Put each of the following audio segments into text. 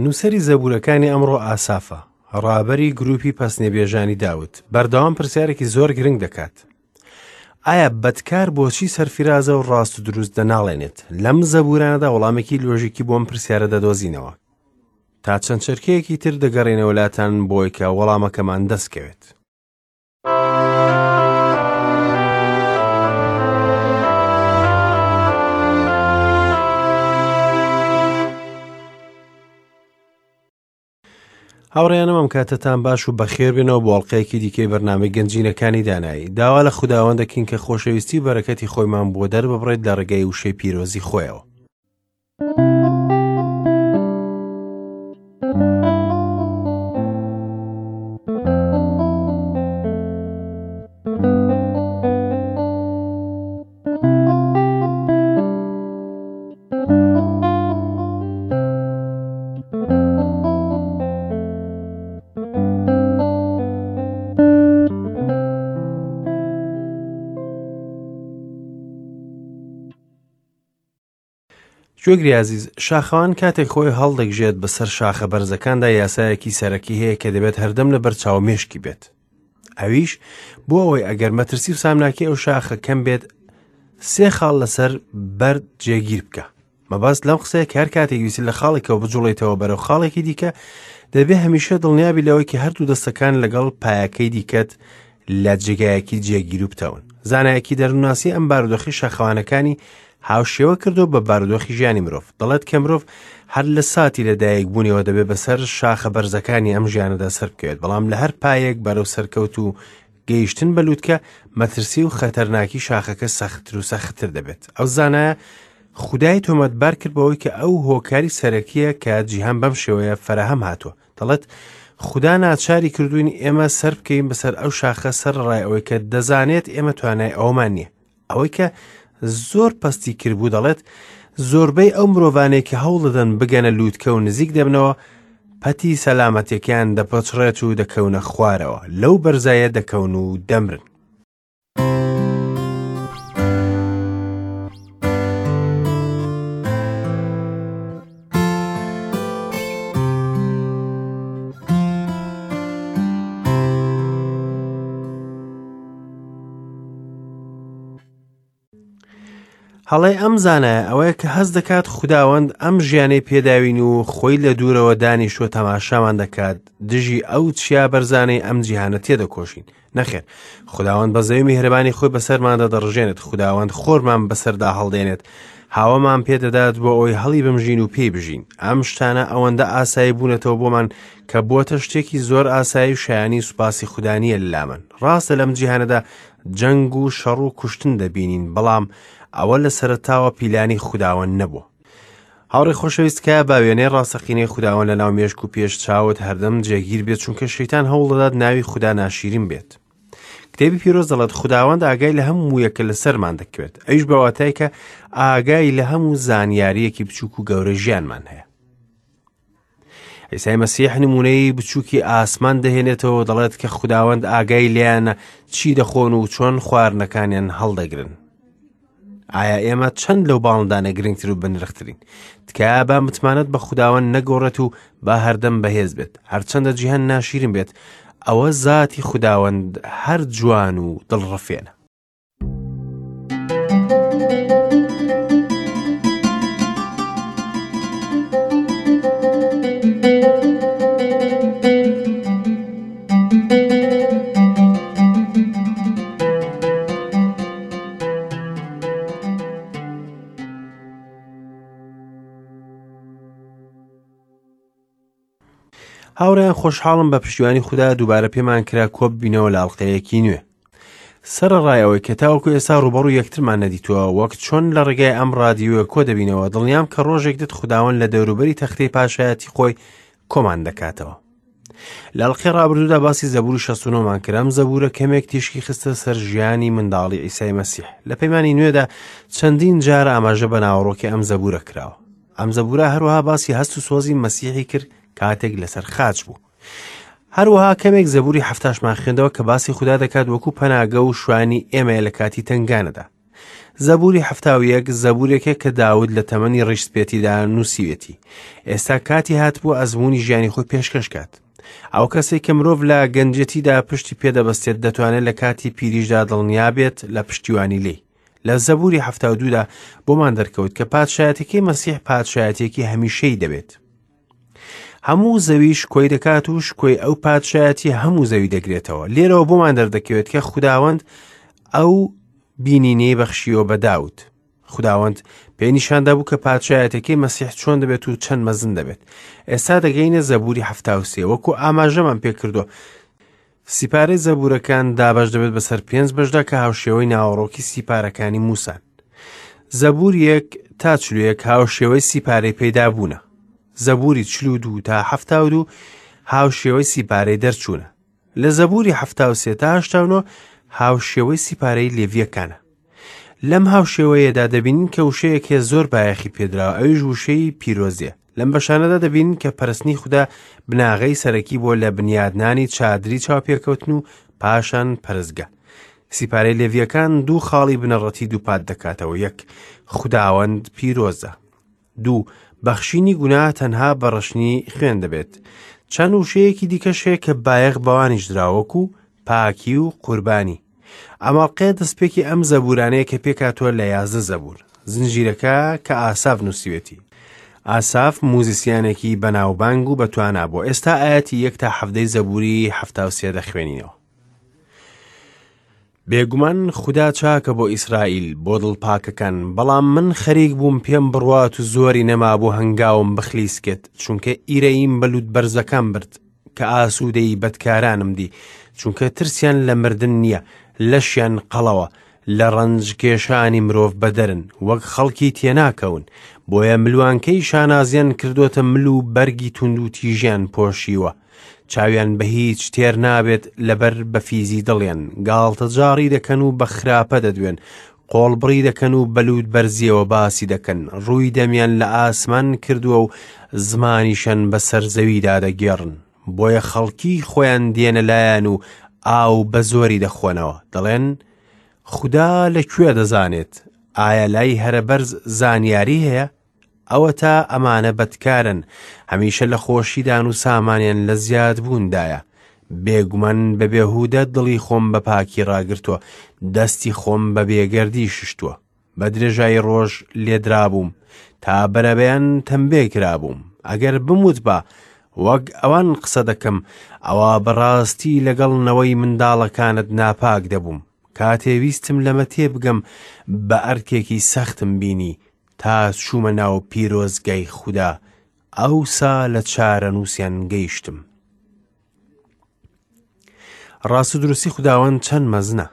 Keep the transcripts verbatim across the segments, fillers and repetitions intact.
نووسەری زەبوورەکانی ئەمڕۆ ئاسافە، ڕابەری گروپی پەسنێبێژانی داود، بەردەوام پرسیارێکی زۆر گرنگ دەکات. ئایا بەدکار بۆچی سەرفیرازە و ڕاست و دروست دەناڵێنێت؟ لەم زەبوورانەدا وەڵامێکی لۆژیکی بۆم پرسیارە دەدۆزینەوە. تا چەند چرکەیەکی تر دەگەڕێنەوە لاتان بۆی کە وەڵامەکەمان دەستکەوێت. هاوڕێیانم، ئەم کاتەتان باش و بەخێربێنەوە بۆ ئەڵقەیەکی دیکەی بەرنامەی گەنجینەکانی دانایی. داوا لە خوداوەند دەکەین کە خۆشەویستی و بەرەکەتی خۆیمان بۆ دەرببڕێت لە ڕێگەی وشەی پیرۆزی خۆیەوە. گوێگری عزیز، شاخەوان کاتێک خۆی هەڵدەگژێت بەسەر شاخە بەرزەکاندا یاسایەکی سەرەکی هەیە کە دەبێت هەردەم لە بەرچاو مێشکی بێت. ئەویش بۆ ئەوەی ئەگەر مەترسی و سامناکی ئەو شاخە کەم بێت، سێ خاڵ لەسەر بەرد جێگیر بکە. مەبەست لەم قسەیە کە هەر کاتێک ویستی لە خاڵێکەوە بجوڵێتەوە بەرەو خاڵێکی دیکە، دەبێ هەمیشە دڵنیابی لەوەی کە هەردوو دەستەکان لەگەڵ پایەکەی دیکەت لە جێگایەکی جێگیر و بتەون. زانایەکی دەروونناسی ئەم بارودۆخی شاخەوانەکانی هاوشێوە کردو بە بارودۆخی ژیانی مرۆڤ. دەڵێت کە مرۆڤ هەر لە ساتی لەدایک بوونیەوە دەبێت بەسەر شاخە بەرزەکانی ئەم ژیانەدا سەر بکەوێت، بەڵام لە هەر پایەک بەرەو سەرکەوت و گەیشتن بە لووتکە مەترسی و خەتەرناکی شاخەکە سەختتر و سەختتر دەبێت. ئەو زانایە خودای تۆمەتبار کرد بەوەی کە ئەو هۆکاری سەرەکیە کە جیهان بەم شێوەیە فەراهەم هاتووە. دەڵێت خودا ناچاری کردوین ئێمە سەر بکەین بەسەر ئەو شاخە سەر ڕای ئەوەی کە دەزانێت ئێمە توانای ئەومان نییە. ئەوەی کە زۆر پەستی کردبوو دەڵێت زۆربەی ئەو مرۆڤانەی کە هەوڵ دەدەن بگەنە لووتکە و نزیک دەبنەوە پەتی سەلامەتیەکان دەپەچڕێت و دەکەونە خوارەوە، لەو بەرزایە دەکەون و دەمرن. هەڵەی ئەم زانایە ئەوەیە کە هەست دەکات خوداوەند ئەم ژیانەی پێداوین و خۆی لە دوورەوە دانیشتووە تەماشامان دەکات، دژی ئەو چیا بەرزانەی ئەم جیهانە تێدەکۆشین. نەخێر، خوداوەند بەزەوی میهرەبانی خۆی بەسەرماندا دەڕژێنێت، خوداوەند خۆرمان بەسەردا هەڵدێنێت، هاوەمان پێدەدات بۆ ئەوەی هەڵی بمژین و پێی بژین. ئەم شتانە ئەوەندە ئاسایی بوونەتەوە بۆمان کە بۆتە شتێکی زۆر ئاسایی و شایانی سوپاسی خودا نییە لەلامان. ڕاستە لەم جیهانەدا جەنگ و شەڕ و کوشتن دەبینین، بەڵام ئەوە لە سەرەتاوە پیلانی خوداوەند نەبوو. هاوڕێ خۆشەویست، کە با وێنەی ڕاستەقینەی خوداوەند لەناو مێشک و پێش چاوت هەردەم جێگیر بێت، چونکە شەیتان هەوڵ دەدات ناوی خودا ناشیرین بێت. کتێبی پیرۆز دەڵێت خوداوەند ئاگای لە هەموو یەکە لەسەرمان دەکەوێت، ئەویش بە واتای کە ئاگای لە هەموو زانیاریەکی بچووک و گەورە ژیانمان هەیە. عیسای مەسیح نمونەی بچووکی ئاسمان دەهێنێتەوە، دەڵێت کە خوداوەند ئاگای لێیانە چی دەخۆن و چۆن خواردنەکانیان هەڵدەگرن. ئایا ئێمە چەند لەو باڵندانە گرنگتر و بنرخترین؟ تکایە با متمانەت بە خوداوەند نەگۆڕێت و با هەردەم بەهێز بێت. هەرچەندە جیهان ناشیرین بێت، ئەوە ذاتی خوداوەند هەر جوان و دڵڕفێنە. هاوڕێیان، خۆشحاڵم بە پشتیوانی خودا دووبارە پێمان کرا کۆب بینەوە لە ئەڵقەیەکی نوێ. سەرەڕای ئەوەی کە تاوەکو ئێستا ڕووبەڕوو یەکترمان نەدیتووە، وەک چۆن لە ڕێگای ئەم ڕادیۆیە کۆ دەبینەوە، دڵنیام کە ڕۆژێک دێت خوداوەند لە دەوروبەری تەختەی پاشایەتی خۆی کۆمان دەکاتەوە. لە ئەڵقەی ڕابردوودا باسی زەبوری شەست و نۆمان کرد. ئەم زەبورە کەمێک تیشکی خستە سەر ژیانی منداڵی عیسای مەسیح. لە پەیمانی نوێدا چەندین جار ئاماژە بە ناوەڕۆکی ئەم زەبورە کراوە. ئەم زەبورە هەروەها باسی هەست و سۆزی مەسیحی کرد کاتێک لەسەر خاچ بوو. هەروەها کەمێک زەبوری حەفتاشمان خوێندەوە کە باسی خودا دەکات وەکو پەناگە و شوانی ئێمەیە لە کاتی تەنگانەدا. زەبوری حەفتا و یەک زەبورێکە کە داود لە تەمەنی ڕیشسپێتیدا نووسیوێتی. ئێستا کاتی هاتبوو ئەزموونی ژیانی خۆی پێشکەش کات. ئەو کەسێک کە مرۆڤ لە گەنجێتیدا پشتی پێدەبەستێت دەتوانێت لە کاتی پیریشدا دڵنیا بێت لە پشتیوانی لێی. لە زەبوری حەفتا و دوودا بۆمان دەرکەوت کە پادشایەتەکەی مەسیح پادشایەتێکی هەمیشەی دەبێت. هەموو زەوی شکۆی دەکات و شکۆی ئەو پادشایەتی هەموو زەوی دەگرێتەوە. لێرەوە بۆمان دەردەکەوێت کە خوداوەند ئەو بینینەی بەخشیەوە بە داود. خوداوەند پێی نیشاندا بوو کە پادشایەتەکەی مەسیح چۆن دەبێت و چەند مەزن دەبێت. ئێستا دەگەینە زەبوری حەفتا و سێ. وەکو ئاماژەمان پێکردووە سیپارەی زەبورەکان دابەش دەبێت بەسەر پێنج بەشدا کە هاوشێوەی ناوەڕۆکی سیپارەکانی موسان. زەبور یەک تا چل و یەک هاوشێوەی سیپارەی پەیدابوونە. زەبوری چل و دوو تا حەفتا و دوو هاوشێوەی سیپارەی دەرچوونە. لە زەبوری حەفتا و سێ تا هەشتا و نۆ هاوشێوەی سیپارەی لێڤیەکانە. لەم هاوشێوەیەدا دەبینین کە وشەیەک هەیە زۆر بایەخی پێدراوە، ئەویش وشەی پیرۆزیە. لەم بەشانەدا دەبینین کە پەرستنی خودا بناغەی سەرەکی بۆ لە بنیادنانی چادری چاوپێکەوتن و پاشان پەرستگە. سیپارەی لێڤیەکان دوو خاڵی بنەڕەتی دووپات دەکاتەوە. یەک، خوداوەند پیرۆزە. دوو، بەخشینی گوناه تەنها بە ڕشنی خوێن دەبێت. چەند وشەیەکی دیکەش هەیە کە بایەخ بەوانیش دراوەکو پاکی و قوربانی. ئەمەڵقەیە دەستپێکی ئەم زەبورانەیە کە پێکهاتووە لە یازدە زەبور. زنجیرەکە کە ئاساف نووسیوێتی. ئاساف موزیسیانێکی بەناوبانگ و بەتوانا بوو. ئێستا ئاەتی یەک تا حەفتەی زەبوری حەفتا و سێ دەخوێنینەوە. بێگومان خودا چاکە بۆ ئیسرائیل، بۆ دڵپاکەکان، بەڵام من خەریک بووم پێم بڕوات و زۆری نەما بۆ هەنگاوم بخلیسکێت، چونکە ئیرەییم بە لووت بەرزەکان برد کە ئاسوودەی بەدکارانم دی، چونکە ترسیان لە مردن نییە، لەشیان قەڵەوە، لە ڕەنجکێشانی مرۆڤ بەدەرن، وەک خەڵکی تێناکەون، بۆیە ملوانکەی شانازیان کردوتە مل و بەرگی توند و تیژیان پۆشیوە. چاویان بە هیچ تێر نابێت لەبەر بەفیزی دڵیان، گاڵتەجاڕی دەکەن و بە خراپە دەدوێن، قۆڵبڕی دەکەن و بەلووت بەرزیەوە باسی دەکەن، ڕووی دەمیان لە ئاسمان کردووە و زمانیشان بەسەر زەویدا دەگێڕن. بۆیە خەڵکی خۆیان دێنە لایەن و ئاو بە زۆری دەخۆنەوە. دەڵێن خودا لەکوێ دەزانێت؟ ئایا لای هەرە بەرز زانیاری هەیە؟ ئەوە تا ئەمانە بەدکارن، هەمیشە لە خۆشیدان و سامانیان لە زیادبووندایە. بێگومان بە بێهودە دڵی خۆم بە پاکی ڕاگرتووە، دەستی خۆم بە بێگەردی ششتووە. بە درێژایی ڕۆژ لێدرابووم تا بەرەبەیان تەمبێ کرابووم. ئەگەر بموت با وەک ئەوان قسە دەکەم، ئەوە بەڕاستی لەگەڵ نەوەی منداڵەکانت ناپاک دەبووم. کاتێ ویستم لەمە تێبگەم بە ئەرکێکی سەختم بینی تا چوومە ناو پیرۆزگای خودا، ئەوسا لە چارەنووسیان گەیشتم. ڕاست و دروستی خوداوەند چەند مەزنە.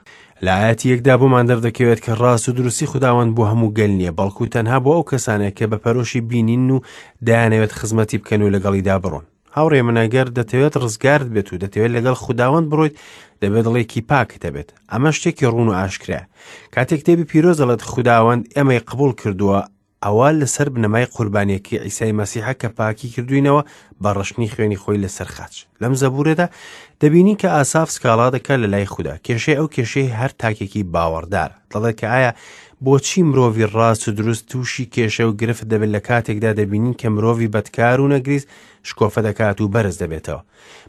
لە ئاەتی یەکدا بۆمان دەردەکەوێت کە ڕاست و دروستی خوداوەند بۆ هەموو گەل نییە، بەڵکو تەنها بۆ ئەو کەسانەیە کە بە پەرۆشی بینین و دەیانەوێت خزمەتی بکەن و لەگەڵیدا بڕۆن. هاوڕێ من، ئەگەر دەتەوێت ڕزگارت بێت و دەتەوێت لەگەڵ خوداوەند بڕۆیت، دەبێت دڵێکی پاکت هەبێت. ئەمە شتێکی ڕوون و ئاشکرایە. کاتێک کتێبی پیرۆز دەڵێت خوداوەند ئێمەی قبوڵ کردووە، ئەوە لەسەر بنەمای قوربانیەکەی عیسای مەسیحە کە پاکی کردوینەوە بە ڕشتنی خوێنی خۆی لەسەر خاچ. لەم زەبورەدا دەبینین کە ئاساف سکاڵا دەکات لە لای خودا. کێشەی ئەو کێشەی هەر تاکێکی باوەڕدارە. دەڵێت کە ئایا بۆچی مرۆڤی ڕاست و دروست تووشی کێشە و گرفت دەبێت لە کاتێکدا دەبینین کە مرۆڤی بەدکار و نەگریس شکۆفە دەکات و بەرز دەبێتەوە.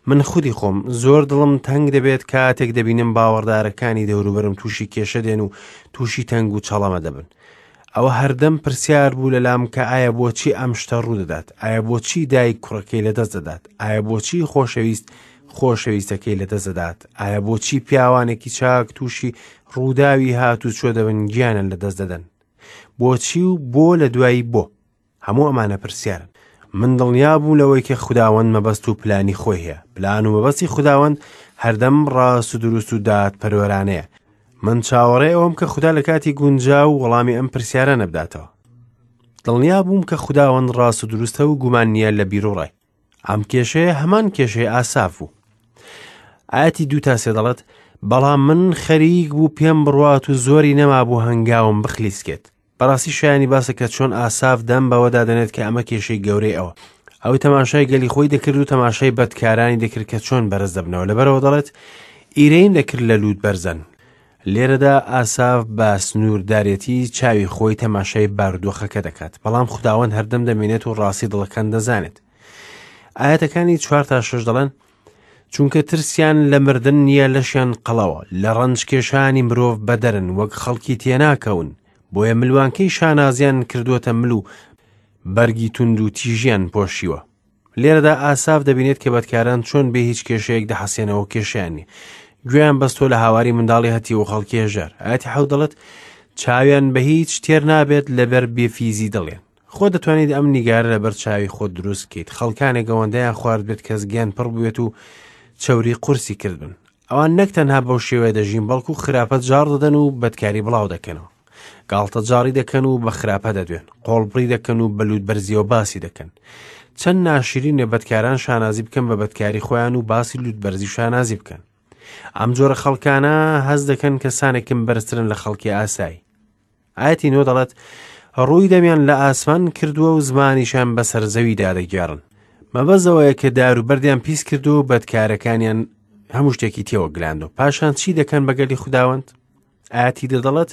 من خودی خۆم زۆر دڵم تەنگ دەبێت کاتێک دەبینم باوەڕدارەکانی دەوروبەرم تووشی کێشە دێن و تووشی تەنگ و چەڵەمە دەبن. ئەوە هەردەم پرسیار بوو لە لام کە ئایا بۆچی ئەم شتە ڕوودەدات؟ ئایا بۆچی دایک کوڕەکەی لەدەست دەدات؟ ئایا بۆچی خۆشەویست خۆشەویستەکەی لەدەست دەدات؟ ئایا بۆچی پیاوانێکی چاک تووشی ڕووداوی هات و چۆ دەبن گیانن لەدەست دەدەن؟ بۆچی و بۆ لە دوایی بۆ؟ هەموو ئەمانە پرسیارن. من دڵنیا بوو لەوەی کە خوداوەند مەبەست و پلانی خۆی هەیە. پلان و مەبەستی خوداوەند هەردەم ڕاست و دروست و دادپەروەرانەیە. من چاوەڕێ ئەوەم کە خودا لە کاتی گونجاو و وەڵامی ئەم پرسیارە نەبداتەوە. دڵنیا بووم کە خوداوەند ڕاست و دروستە و گومان نییە لە بیرۆڕای. ئەم کێشەیە هەمان کێشەی ئاساف بوو. ئاەتی دوو تا سێ دەڵێت بەڵام من خەریک بوو پێم بڕوات و زۆری نەما بوو هەنگاوم بخلیسکێت. بەڕاستی شایانی باسە کە چۆن ئاساف دەم بەوەدا دەنێت کە ئەمە کێشەی گەورەی ئەوە. ئەو تەماشای گەلی خۆی دەکرد و تەماشای بەدکارانی دەکرد کە چۆن بەرز دەبنەوە. لەبەرەوە دەڵێت ئیرەیم دەکرد لە لووت بەرزن. لێرەدا ئاساف بە سنووردارێتی چاوی خۆی تەماشای بارودۆخەکە دەکات، بەڵام خوداوەند هەردەم دەمێنێت و ڕاستی دڵەکان دەزانێت. ئاەتەکانی چوار تا شەش دەڵێن چونکە ترسیان لە مردن نییە لەشیان قەڵەوە، لە ڕەنجکێشانی مرۆڤ بەدەرن وەک خەڵکی تێناکەون، بۆیە ملوانکەی شانازیان کردووەتە مل و بەرگی توند و تیژیان پۆشیوە. لێرەدا ئاساف دەبینێت کە بەدکاران چۆن بێ هیچ کێشەیەک دەحەسێنەوە کێشیان نییە، گوێیان بەستۆ لە هاواری منداڵی هەتی و خەڵکی هەژار. ئاەتی حەوت دەڵێت چاویان بە هیچ تێر نابێت لەبەر بێفیزی دڵێن. خۆ دەتوانیت ئەم نیگارە لەبەر چاوی خۆت دروست بکەیت، خەڵکانێک ئەوەندەیان خوارد بێت کە زگیان پڕ بوێت و چەوری قورسی کردبن. ئەوان نەک تەنها بەو شێوەیە دەژین، بەڵکو خراپە جاڕ دەدەن و بەدکاری بڵاو دەکەنەوە، گاڵتە جاڕی دەکەن و بە خراپە دەدوێن، قۆڵبڕی دەکەن و بە لووتبەرزیەوە باسی دەکەن. چەند ناشرینە بەدکاران شانازی بکەن بە بەدکاری خۆیان و باسی لووتبەرزی شانازی بکەن. ئەم جۆرە خەڵکانە هەز دەکەن کەسانێکم بەرزترن لە خەڵکی ئاسایی. ئاەتی نۆ دەڵێت ڕووی دەمیان لە ئاسمان کردووە و زمانیشان بەسەر زەویدا دەگێڕن. مەبەزەوەیە کە دار و بەردیان پیس کردو و بەدکارەکانیان هەموو شتێکی تێوە گلاندو. پاشان چی دەکەن بەگەلی خوداوەند؟ ئاەتی دە دەڵێت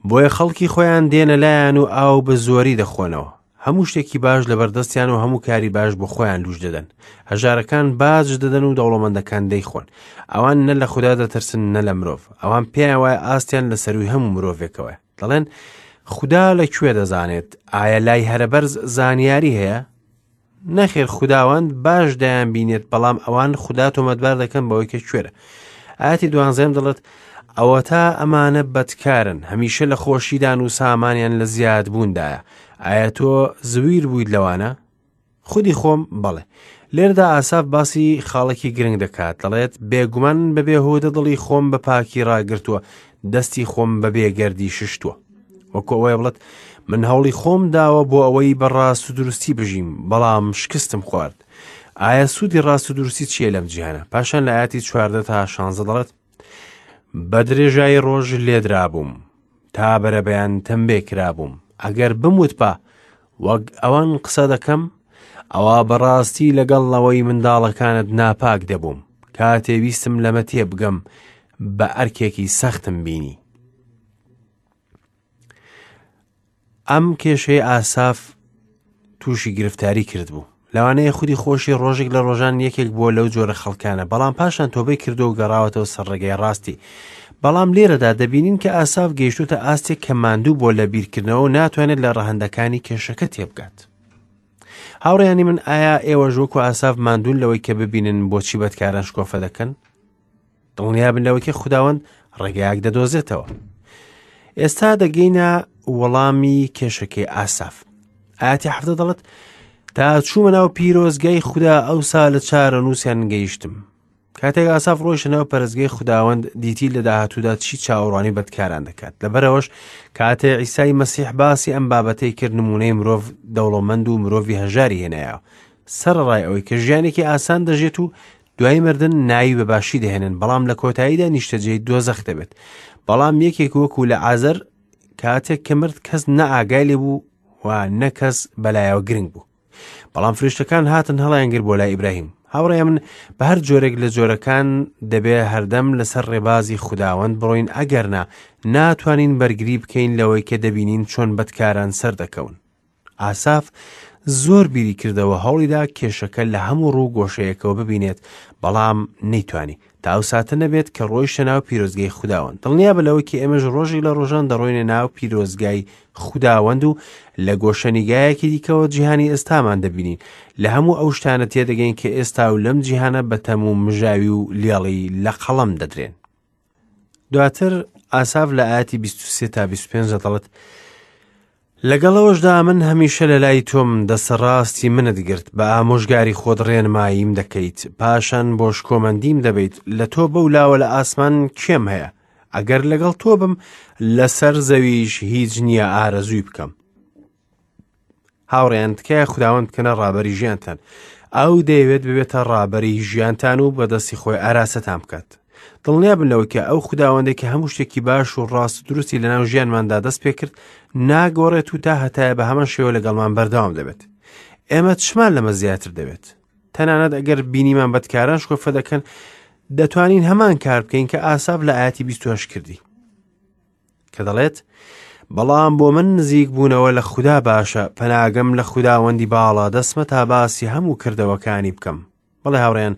بۆیە خەڵکی خۆیان دێنە لایەن و ئاو بە زۆری دەخۆنەوە، هەموو شتێکی باش لەبەردەستیان و هەموو کاری باش بۆ خۆیان لوش دەدەن، هەژارەکان باج دەدەن و دەوڵەمەندەکان دەیخۆن. ئەوان نە لە خودا دەترسن نە لە مرۆڤ، ئەوان پێیان وایە ئاستیان لە سەروی هەموو مرۆڤێکەوە. دەڵێن خودا لەکوێ دەزانێت؟ ئایا لای هەرەبەرز زانیاری هەیە؟ نەخێر، خوداوەند باش دەیان بینێت، بەڵام ئەوان خودا تۆمەتبار دەکەن بەوەی کە کوێرە. ئاەتی دوانزەم دەڵێت ئەوە تا ئەمانە بەدکارن، هەمیشە لە خۆشیدان و سامانیان لە زیادبووندایە. ئایا تۆ زویر بوویت لەوانە؟ خودی خۆم بەڵێ. لێرەدا ئاساف باسی خاڵێکی گرنگ دەکات، دەڵێت بێگومان بەبێ هۆدە دڵی خۆم بە پاکی ڕاگرتووە، دەستی خۆم بە بێگەردی ششتووە. وەکو ئەوەیە بڵێت من هەوڵی خۆم داوە بۆ ئەوەی بە ڕاست و دروستی بژیم، بەڵام شکستم خوارد. ئایا سوودی ڕاست و دروستی چییە لەم جیهانە؟ پاشان لە ئاەتی چواردە تا شانزە دەڵێت بە درێژایی ڕۆژ لێدرابووم تا بەرەبەیان تەمبێ کرابووم، ئەگەر بموتبا وەک ئەوان قسە دەکەم، ئەوە بەڕاستی لەگەڵ ئەوەی منداڵەکانت ناپاک دەبووم. کاتێ ویستم لەمە تێبگەم بە ئەرکێکی سەختم بینی. ئەم کێشەی ئاساف تووشی گرفتاری کرد بوو. لەوانەیە خودی خۆشی ڕۆژێک لە ڕۆژان یەکێک بووە لەو جۆرە خەڵکانە، بەڵام پاشان تۆبەی کردو و گەڕاوەتەوە سەر ڕێگەی ڕاستی. بەڵام لێرەدا دەبینین کە ئاساف گەیشتوتە ئاستێک کە ماندوو بۆ لە بیرکردنەوە و ناتوانێت لە ڕەهەندەکانی کێشەکە تێبگات. هاوڕێیانی من، ئایا ئێوەش وەکو ئاساف ماندوون لەوەی کە ببینن بۆچی بەدکاران شکۆفە دەکەن؟ دڵنیابن لەوەی کە خوداوەند ڕێگایەک دەدۆزێتەوە. ئێستا دەگەینە وەڵامی کێشەکەی ئاساف. ئاەتی حەفتە دەڵێت تا چوومە ناو پیرۆزگای خودا ئەوسا لە چارەنووسیان گەیشتم. کاتێک ئاساف ڕۆیشتە ناو پەرستگای خوداوەند دیتی لە داهاتوودا چی چاوەڕوانی بەدکاران دەکات. لەبەرەوەش کاتێ عیسای مەسیح باسی ئەم بابەتەی کرد، نمونەی مرۆڤ دەوڵەمەند و مرۆڤی هەژاری هێنایەوە، سەرەڕای ئەوەی کە ژیانێکی ئاسان دەژێت و دوای مردن ناوی بە باشی دەهێنن، بەڵام لە کۆتاییدا نیشتەجێی دۆزەخ دەبێت. بەڵام یەکێک وەکو لە عازەر کاتێک کە مرد کەس نە ئاگای لێ بوو و نە کەس بەلایەوە گرنگ بوو. بەڵام فریشتەکان هاتن هەڵیانگر بۆ لای ئیبراهیم. هاوڕێ من، بە هەر جۆرێک لە جۆرەکان دەبێ هەردەم لەسەر ڕێبازی خوداوەند بڕۆین، ئەگەرنا ناتوانین بەرگری بکەین لەوەی کە دەبینین چۆن بەدکاران سەردەکەون. ئاساف زۆر بیری کردەوە، هەوڵیدا کێشەکە لە هەموو ڕوو گۆشەیەکەوە ببینێت، بەڵام نەیتوانی تا ئەو ساتە نەبێت کە ڕۆیشتە ناو پیرۆزگای خوداوەند. دڵنیابە لەوەی کە ئێمەش ڕۆژێک لە ڕۆژان دەڕۆینە ناو پیرۆزگای خوداوەند و لە گۆشەنیگایەکی دیکەوە جیهانی ئێستامان دەبینین. لە هەموو ئەو شتانە تێدەگەین کە ئێستا و لەم جیهانە بەتەم و مژاوی و لێڵی لە قەڵەم دەدرێن. دواتر ئاساف لە ئاەتی بیست و سێ تا بیست و پێنج دەڵێت لەگەڵەوەشدا من هەمیشە لە لای تۆم، دەسەڕاستی منت گرت، بە ئامۆژگاری خۆت ڕێنماییم دەکەیت، پاشان بۆ شکۆمەندیم دەبیت. لە تۆ بەو لاوە لە ئاسمان کێم هەیە؟ ئەگەر لەگەڵ تۆ بم لەسەر زەویش هیچ نییە ئارەزووی بکەم. هاوڕێیان، تکایە خوداوەند بکەنە ڕابەری ژیانتان. ئەو دەیەوێت ببێتە ڕابەری ژیانتان و بەدەستی خۆی ئاراستەتان بکات. دڵنیابن لەوەی کە ئەو خوداوەندێک کە هەموو شتێکی باش و ڕاست و دروستی لەناو ژیانماندا دەست پێکرد ناگۆڕێت و تا هەتایە بە هەمان شێوە لەگەڵمان بەردەوام دەبێت. ئێمە چمان لەمە زیاتر دەبێت؟ تەنانەت ئەگەر بینیمان بەدکاران شکۆفە دەکەن، دەتوانین هەمان کار بکەین کە ئاساف لە ئایەتی بیست و هەشت کردی کە دەڵێت بەڵام بۆ من نزیک بوونەوە لە خودا باشە، پەناگەم لە خوداوەندی باڵا دەستمە تا باسی هەموو کردەوەکانی بکەم. بەڵێ هاوڕێیان،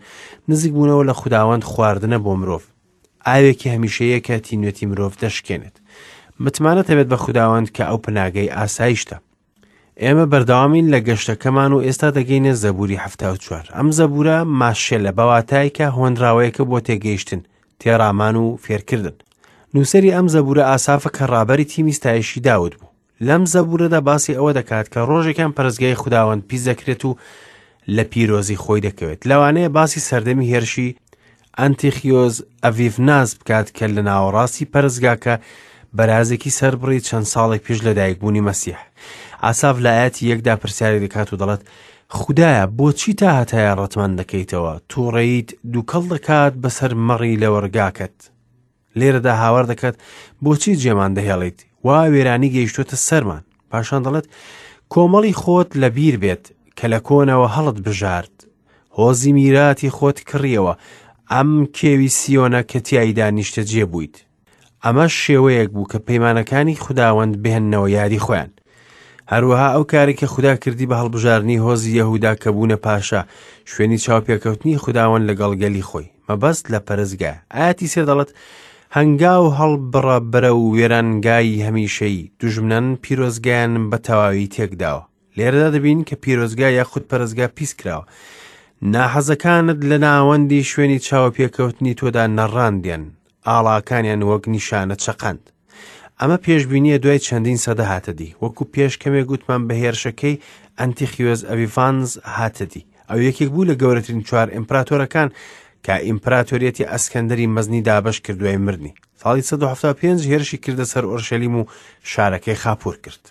نزیک بوونەوە لە خوداوەند خواردنە بۆ مرۆڤ، ئاوێکی هەمیشەیە کە تینوێتی مرۆڤ دەشکێنێت. متمانەت هەبێت بە خوداوەند کە ئەو پەناگەی ئاسایشتە. ئێمە بەردەوامین لە گەشتەکەمان و ئێستا دەگەینە زەبوری حەفتا و چوار. ئەم زەبورە ماشێلە بە واتای کە هۆنراوەیەکە بۆ تێگەیشتن، تێڕامان و فێرکردن. نووسەری ئەم زەبورە ئاسافە کە ڕابەری تیمی ستایشی داود بوو. لەم زەبورەدا باسی ئەوە دەکات کە ڕۆژێکیان پەرستگای خوداوەند پیس دەکرێت و لە پیرۆزی خۆی دەکەوێت. لەوانەیە باسی سەردەمی هێرشی ئەنتیخیۆز ئەڤیڤناس بکات کە لە ناوەڕاستی پەرستگاکە بەرازێکی سەربڕی چەند ساڵێک پێش لەدایکبوونی مەسیح. ئاساف لە ئایەتی یەکدا پرسیاری دەکات و دەڵێت خودایە بۆچی تا هەتایە ڕەتمان دەکەیتەوە؟ تووڕەییت دووکەڵ دەکات بەسەر مەڕی لەوەڕگاکەت. لێرەدا هاوار دەکات بۆچی جێمان دەهێڵیت؟ وا وێرانی گەیشتۆتە سەرمان. پاشان دەڵێت کۆمەڵی خۆت لەبیر بێت کە لە کۆنەوە هەڵت بژارد، هۆزی میراتی خۆت کڕیەوە، ئەم کێوی سیۆنە کە تیایدا نیشتەجێ بوویت. ئەمەش شێوەیەک بوو کە پەیمانەکانی خوداوەند بهێننەوە یادی خۆیان. هەروەها ئەو کارێک کە خودا کردی بە هەڵبژاردنی هۆزی یەهودا کە بوونە پاشا، شوێنی چاوپێکەوتنی خوداوەند لەگەڵ گەلی خۆی، مەبەست لە پەرستگا. ئایەتی سێ دەڵێت هەنگاو هەڵبڕە بەرە و وێرانگای هەمیشەیی، دوژمنان پیرۆزگایان بە تەواوی تێکداوە. لێرەدا دەبین کە پیرۆزگا یاخود پەرستگا پیس کراوە. ناحەزەکانت لە ناوەندی شوێنی چاوپێکەوتنی تۆدا نەڕاندیان، ئاڵاکانیان وەک نیشانە چەقاند. ئەمە پێشبینیە دوای چەندین سەدە هاتە دی، وەکو پێش کەمێک گوتمان بە هێرشەکەی ئەنتیخیۆز ئەڤیفانز هاتە دی. ئەو یەکێک بوو لە گەورەترین چوار ئیمپراتۆرەکان کە ئیمپراتۆریەتی ئەسکەندەری مەزنی دابەش کرد دوای مردنی. ساڵی سەد و حەفتا و پێنج هێرشی کردە سەر ئۆرشەلیم و شارەکەی خاپوور کرد.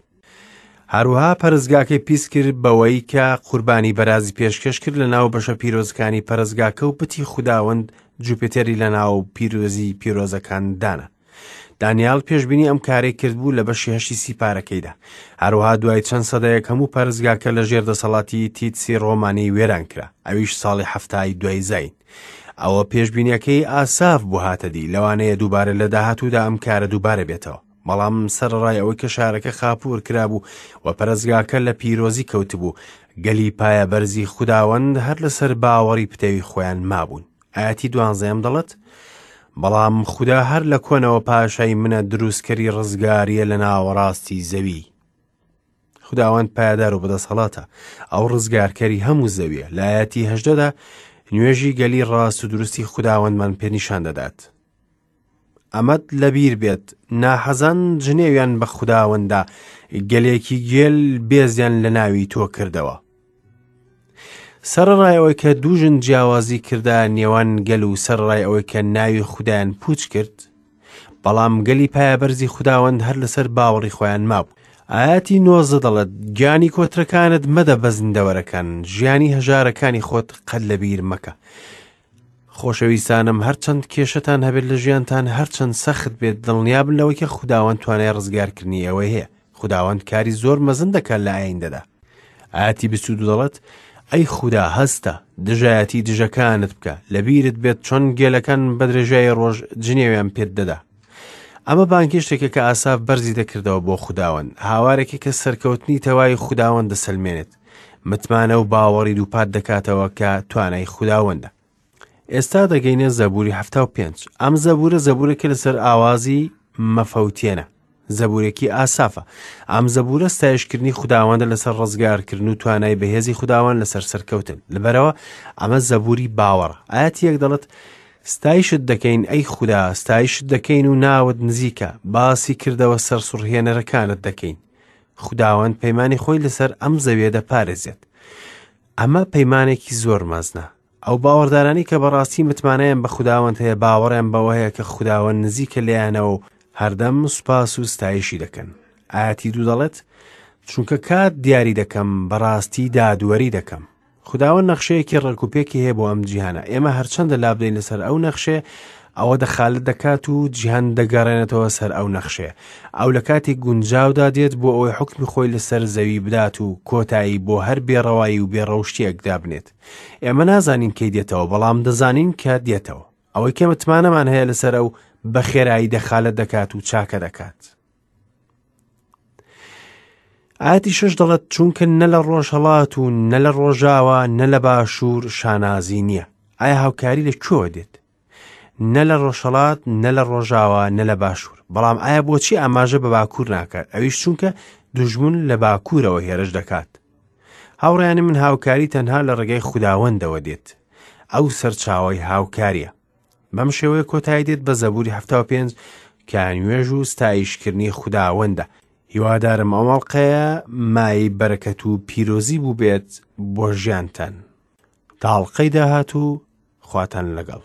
هەروەها پەرستگاکەی پیس کرد بەوەی کە قوربانی بەرازی پێشکەش کرد لە ناو بەشە پیرۆزەکانی پەرستگاکە و بتی خوداوەند جوپیتەری لە ناو پیرۆزی پیرۆزەکان دانا. دانیال پێشبینی ئەم کارەی کرد بوو لە بەشی هەشتی سیپارەکەیدا. هەروەها دوای چەند سەدەیەک هەموو پەرستگاکە لە ژێر دەسەڵاتی تیتسی ڕۆمانی وێران کرا، ئەویش ساڵی حەفتای دوای زین. ئەوە پێشبینیەکەی ئاساف بوو هاتە دی، لەوانەیە دووبارە لە داهاتوودا ئەم کارە دووبارە بێتەوە. بەڵام سەرەڕای ئەوەی کە شارەکە خاپوور کرابوو و پەرستگاکە لە پیرۆزی کەوتبوو، گەلی پایە بەرزی خوداوەند هەر لەسەر باوەڕی پتەوی خۆیان مابوون. ئایەتی دوانزەیەم دەڵێت بەڵام خودا هەر لە کۆنەوە پاشای منە، دروستکەری ڕزگاریە لە ناوەڕاستی زەوی. خوداوەند پایەدار و بەدەسەڵاتە، ئەو ڕزگارکەری هەموو زەویە. لە ئایەتی هەژدەدا نوێژی گەلی ڕاست و دروستی خوداوەندمان پێنیشان دەدات. ئەمەت لەبیر بێت، ناحەزان جنێویان بە خوداوەندا، گەلێکی گێل بێزیان لە ناوی تۆ کردەوە. سەرەڕای ئەوەی کە دوو ژن جیاوازی کردە نێوان گەل و سەرەڕای ئەوەی کە ناوی خودایان پوچ کرد، بەڵام گەلی پایەبەرزی خوداوەند هەر لەسەر باوەڕی خۆیان مابوو. ئایەتی نۆزدە دەڵێت گیانی کۆترەکانت مەدە بە زیندەوەرەکان، ژیانی هەژارەکانی خۆت قەت لەبیر مەکە. خۆشەویستانم، هەرچەند کێشەتان هەبێت لە ژیانتان، هەرچەند سەخت بێت، دڵنیابن لەوەی کە خوداوەند توانای ڕزگارکردنی ئەوەی هەیە. خوداوەند کاری زۆر مەزن دەکات لە ئایندەدا. ئایەتی بیست و دوو دەڵێت ئەی خودا هەستە، دژایەتی دژەکانت بکە، لەبیرت بێت چۆن گێلەکان بە درێژایی ڕۆژ جنێویان پێت دەدا. ئەمە بانگهێشتێکە کە ئاساف بەرزی دەکردەوە بۆ خوداوەند، هاوارێکی کە سەرکەوتنی تەواوی خوداوەند دەسەلمێنێت، متمانە و باوەڕی دووپات دەکاتەوە کە توانای خوداوەندە. ئێستا دەگەینە زەبوری حەفتا و پێنج. ئەم زەبورە زەبورێکە لەسەر ئاوازی مەفەوتێنە، زەبورێکی ئاسافە. ئەم زەبورە ستایشکردنی خوداوەندە لەسەر ڕزگارکردن و توانای بەهێزی خوداوەند لەسەر سەرکەوتن. لەبەرەوە ئەمە زەبوری باوەڕە. ئایەتی یەک دەڵێت ستایشت دەکەین ئەی خودا، ستایشت دەکەین و ناوت نزیکە، باسی کردەوە سەرسوڕهێنەرەکانت دەکەین. خوداوەند پەیمانی خۆی لەسەر ئەم زەویە دەپارێزێت. ئەمە پەیمانێکی زۆر مەزنە. ئەو باوەڕدارانی کە بەڕاستی متمانەیان بە خوداوەند هەیە، باوەڕیان بەوە هەیە کە خوداوەند نزیکە لێیانەوە و هەردەم سوپاس و ستایشی دەکەن. ئایەتی دوو دەڵێت چونکە کات دیاری دەکەم، بەڕاستی دادوەری دەکەم. خوداوەند نەخشەیەکی ڕێکوپێکی هەیە بۆ ئەم جیهانە. ئێمە هەرچەندە لابدەین لەسەر ئەو نەخشەیە، ئەوە دەخالت دەکات و جیهان دەگەڕێنێتەوە سەر ئەو نەخشەیە. ئەو لە کاتێک گونجاودا دێت بۆ ئەوەی حوکمی خۆی لەسەر زەوی بدات و کۆتایی بۆ هەر بێڕەوایی و بێڕەوشتیەک دابنێت. ئێمە نازانین کەی دێتەوە، بەڵام دەزانین کە دێتەوە. ئەوەی کە متمانەمان هەیە لەسەر ئەو بە خێرایی دەخالەت دەکات و چاکە دەکات. ئاەتی شەش دەڵێت چونکە نە لە ڕۆژهەڵات و نە لە ڕۆژاوا نە لە باشوور شانازی نییە. ئایا هاوکاری لە کوێوە دێت؟ نە لە ڕۆژهەڵات نە لە ڕۆژاوا نە لە باشوور. بەڵام ئایا بۆچی ئاماژە بە باکوور ناکات؟ ئەویش چونکە دوژمن لە باکوورەوە هێرش دەکات. هاوڕێیانی من، هاوکاری تەنها لە ڕێگەی خوداوەندەوە دێت. ئەو سەرچاوەی هاوکاریە. بەم شێوەیە کۆتایی دێت بە زەبوری حەفتا و پێنج کە نوێژ و ستایشکردنی خوداوەندە. هیوادارم ئەم ئەڵقەیە مایەی بەرەکەت و پیرۆزی بوو بێت بۆ ژیانتان. تا ئەڵقەی داهاتوو خواتان لەگەڵ.